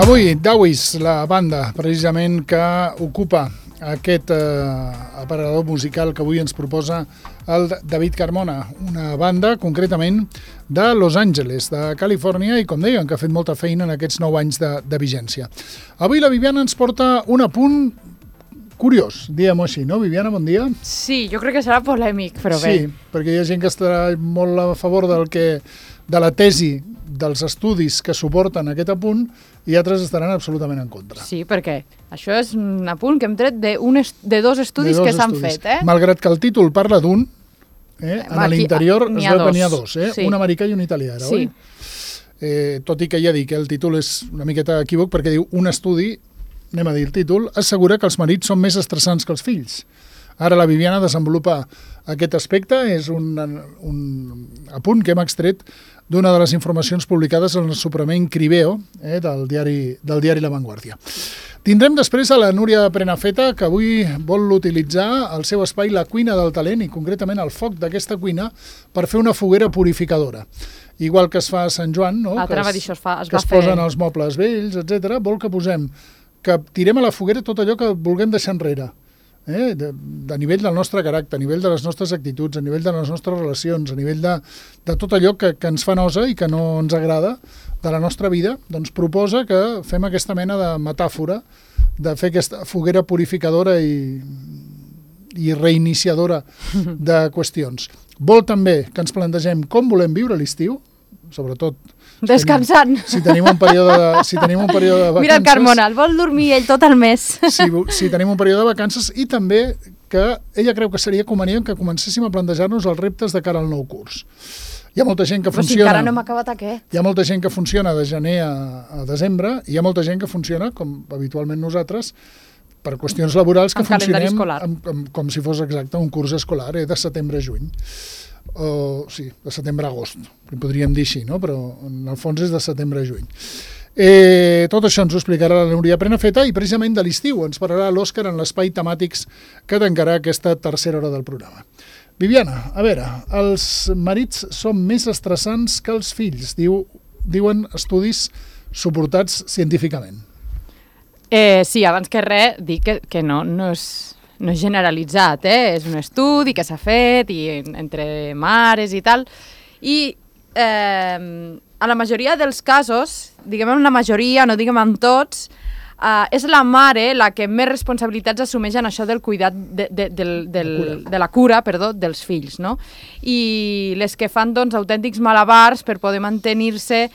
Avui, Dawis, la banda, precisament, que ocupa aquest aparador musical que avui ens proposa el David Carmona, una banda, concretament, de Los Angeles, de Califòrnia, i com deien, que ha fet molta feina en aquests 9 anys de vigència. Avui la Viviana ens porta un apunt curiós, diguem-ho així, no? Viviana, bon dia. Sí, jo crec que serà polèmic, però bé. Sí, perquè hi ha gent que estarà molt a favor de la tesi dels estudis que suporten aquest apunt i altres estaran absolutament en contra. Sí, perquè això és un apunt que hem tret de 2 estudis que s'han fet. Malgrat que el títol parla d'un, en l'interior es veu que n'hi ha 2, sí. Un americà i un italià, ara, sí. Oi? Tot i que ja dic, el títol és una miqueta equívoc perquè diu un estudi, anem a dir el títol, assegura que els marits són més estressants que els fills. Ara la Viviana desenvolupa aquest aspecte, és un apunt que hem extret d'una de les informacions publicades en el suplement Cribeo, del diari La Vanguardia. Tindrem després a la Núria Prenafeta, que avui vol utilitzar el seu espai La Cuina del Talent, i concretament el foc d'aquesta cuina, per fer una foguera purificadora. Igual que es fa a Sant Joan, no? que es posen els mobles vells, etc. Vol que tirem a la foguera tot allò que vulguem deixar enrere. A nivell del nostre caràcter, a nivell de les nostres actituds, a nivell de les nostres relacions, a nivell de tot allò que ens fa nosa i que no ens agrada de la nostra vida, doncs proposa que fem aquesta mena de metàfora de fer aquesta foguera purificadora i reiniciadora de qüestions. Vol també que ens plantegem com volem viure l'estiu, sobretot descansant. Si tenim un període de vacances... Mira el Carmona, el vol dormir ell tot el mes. Si tenim un període de vacances, i també que ella creu que seria convenient que comencéssim a plantejar-nos els reptes de cara al nou curs. Hi ha molta gent que funciona... Però si encara no hem acabat aquest. Hi ha molta gent que funciona de gener a desembre, i hi ha molta gent que funciona, com habitualment nosaltres, per qüestions laborals que funcionem com si fos exacte un curs escolar, de setembre a juny. Sí, de setembre a agost, podríem dir així, no? Però en el fons és de setembre a juny. Tot això ens ho explicarà la Núria Prenafeta, i precisament de l'estiu ens parlarà l'Òscar en l'espai temàtics que tancarà aquesta tercera hora del programa. Viviana, a veure, els marits són més estressants que els fills, diuen estudis suportats científicament. Sí, abans que res, dic que no és generalitzat, és un estudi que s'ha fet entre mares i tal, i a la majoria dels casos, diguem en la majoria, no diguem en tots, és la mare la que més responsabilitats assumeix en això del cuidat de la cura dels fills, no? I les que fan doncs autèntics malabars per poder mantenir-se,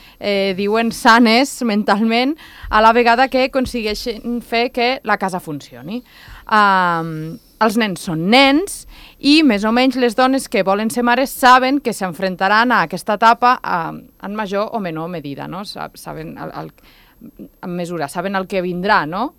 diuen, sanes mentalment, a la vegada que aconsegueixen fer que la casa funcioni. Els nens són nens i més o menys les dones que volen ser mares saben que s'enfrontaran a aquesta etapa en major o menor medida, no? Saben en mesura, saben el que vindrà, no?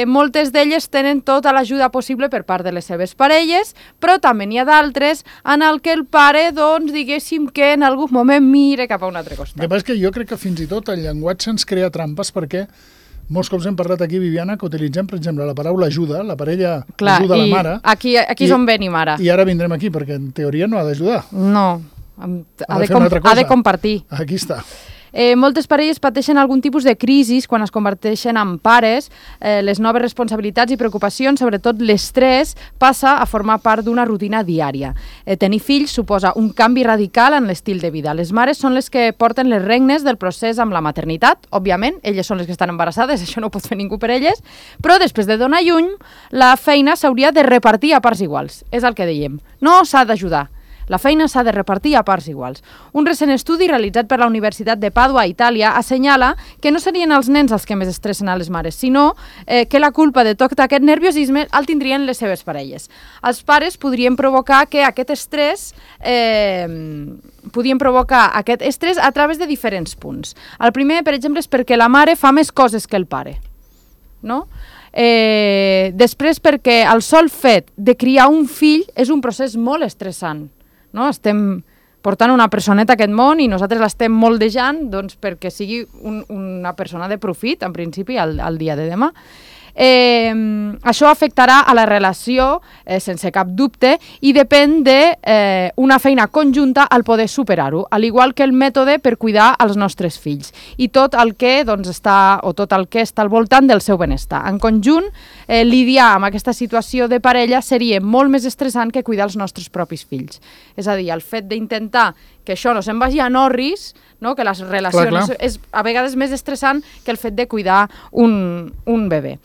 Moltes d'elles tenen tota l'ajuda possible per part de les seves parelles, però també n'hi ha d'altres en el que el pare, doncs, diguéssim que en algun moment mire cap a un altre costat. El que passa és que jo crec que fins i tot el llenguatge ens crea trampes, perquè molts cops hem parlat aquí, Viviana, que utilitzem, per exemple, la paraula ajuda, la parella ajuda la mare. Aquí és on venim ara. I ara vindrem aquí, perquè en teoria no ha d'ajudar. No, ha de compartir. Aquí està. Moltes parelles pateixen algun tipus de crisi quan es converteixen en pares. Les noves responsabilitats i preocupacions, sobretot l'estrès, passa a formar part d'una rutina diària. Tenir fills suposa un canvi radical en l'estil de vida. Les mares són les que porten les regnes del procés amb la maternitat. Òbviament, elles són les que estan embarassades, això no ho pot fer ningú per elles, però després de donar llum, la feina s'hauria de repartir a parts iguals. És el que dèiem. No s'ha d'ajudar. La feina s'ha de repartir a parts iguals. Un recent estudi realitzat per la Universitat de Pàdua, a Itàlia, assenyala que no serien els nens els que més estressen a les mares, sinó que la culpa de tot aquest nerviosisme el tindrien les seves parelles. Els pares podrien provocar aquest estrès a través de diferents punts. El primer, per exemple, és perquè la mare fa més coses que el pare, no? Després, perquè el sol fet de criar un fill és un procés molt estressant, no? Estem portant una personeta a aquest món i nosaltres l'estem moldejant, doncs, perquè sigui una persona de profit, en principi, al dia de demà. Això afectarà a la relació, sense cap dubte, i depèn d'una feina conjunta al poder superar-ho, al igual que el mètode per cuidar els nostres fills i tot el que està al voltant del seu benestar. En conjunt, lidiar amb aquesta situació de parella seria molt més estressant que cuidar els nostres propis fills. És a dir, el fet d'intentar que això no se'n vagi a Norris, no? Que les relacions és a vegades més estressant que el fet de cuidar un bebè.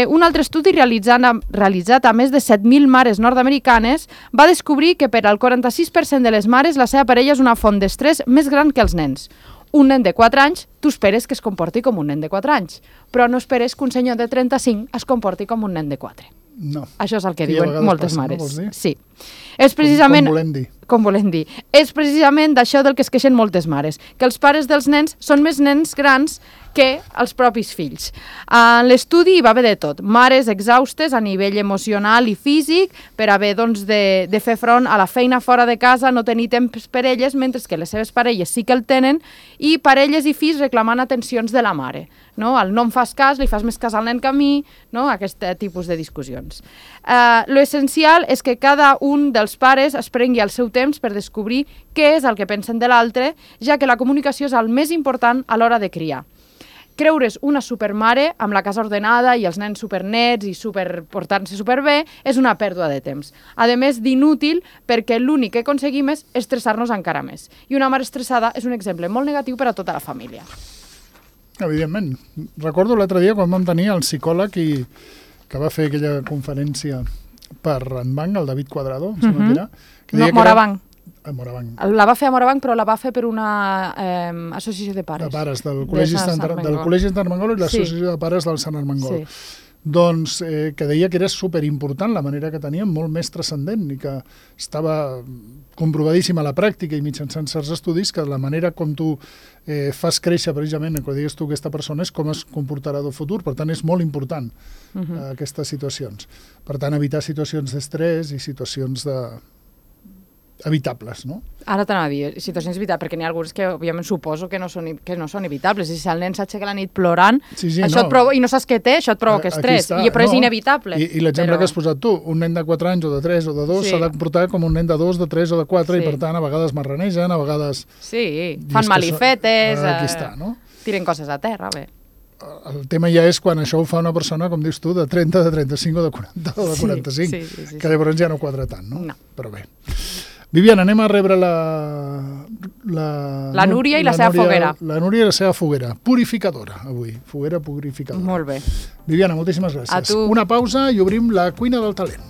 Un altre estudi realitzat a més de 7.000 mares nord-americanes va descobrir que per al 46% de les mares la seva parella és una font d'estrès més gran que els nens. Un nen de 4 anys, tu esperes que es comporti com un nen de 4 anys, però no esperes que un senyor de 35 es comporti com un nen de 4. No. Això és el que diuen moltes mares. No vols dir? Sí. És precisament, com volem dir. És precisament d'això del que es queixen moltes mares, que els pares dels nens són més nens grans que els propis fills. En l'estudi hi va haver de tot. Mares exhaustes a nivell emocional i físic per haver de fer front a la feina fora de casa, no tenir temps per elles, mentre que les seves parelles sí que el tenen, i parelles i fills reclamant atencions de la mare. No? El no em fas cas, li fas més cas al nen que a mi, no? Aquest tipus de discussions. Lo essencial és que cada un dels pares es prengui el seu temps per descobrir què és el que pensen de l'altre, ja que la comunicació és el més important a l'hora de criar. Creure's una supermare amb la casa ordenada i els nens supernets i portant-se superbé és una pèrdua de temps. A més d'inútil perquè l'únic que aconseguim és estressar-nos encara més. I una mare estressada és un exemple molt negatiu per a tota la família. Evidentment. Recordo l'altre dia quan vam tenir el psicòleg que va fer aquella conferència per Ranbanc, el David Cuadrado, em sembla que era. No, Morabanc. Morabanc. La va fer a Morabanc, però la va fer per una associació de pares. De pares, del Col·legi Sant Armengol i l'associació de pares del Sant Armengol. Sí. Doncs que deia que era superimportant la manera que teníem, molt més transcendent, i que estava comprovadíssima a la pràctica i mitjançant certs estudis que la manera com tu fas créixer precisament, quan digues tu aquesta persona, és com es comportarà del futur. Per tant, és molt important aquestes situacions. Per tant, evitar situacions d'estrès i situacions evitables, no? Ara t'anava a dir, situacions evitables, perquè n'hi ha alguns que, òbviament, suposo que no són evitables. I si el nen s'aixeca la nit plorant, això et provoca, i no saps què té, això et provoca estrès, però és inevitable. I l'exemple que has posat tu, un nen de 4 anys o de 3 o de 2 s'ha de comportar com un nen de 2, de 3 o de 4, i per tant, a vegades marranegen, a vegades... Sí, fan malifetes, aquí està, no? Tiren coses a terra, bé. El tema ja és quan això ho fa una persona, com dius tu, de 30, de 35 o de 40 o de 45, que llavors ja no quadra tant, no? Però bé. Viviana, anem a rebre la Núria i la seva foguera. La Núria i la seva foguera. Purificadora, avui. Foguera purificadora. Molt bé. Viviana, moltíssimes gràcies. A tu. Una pausa i obrim la cuina del talent.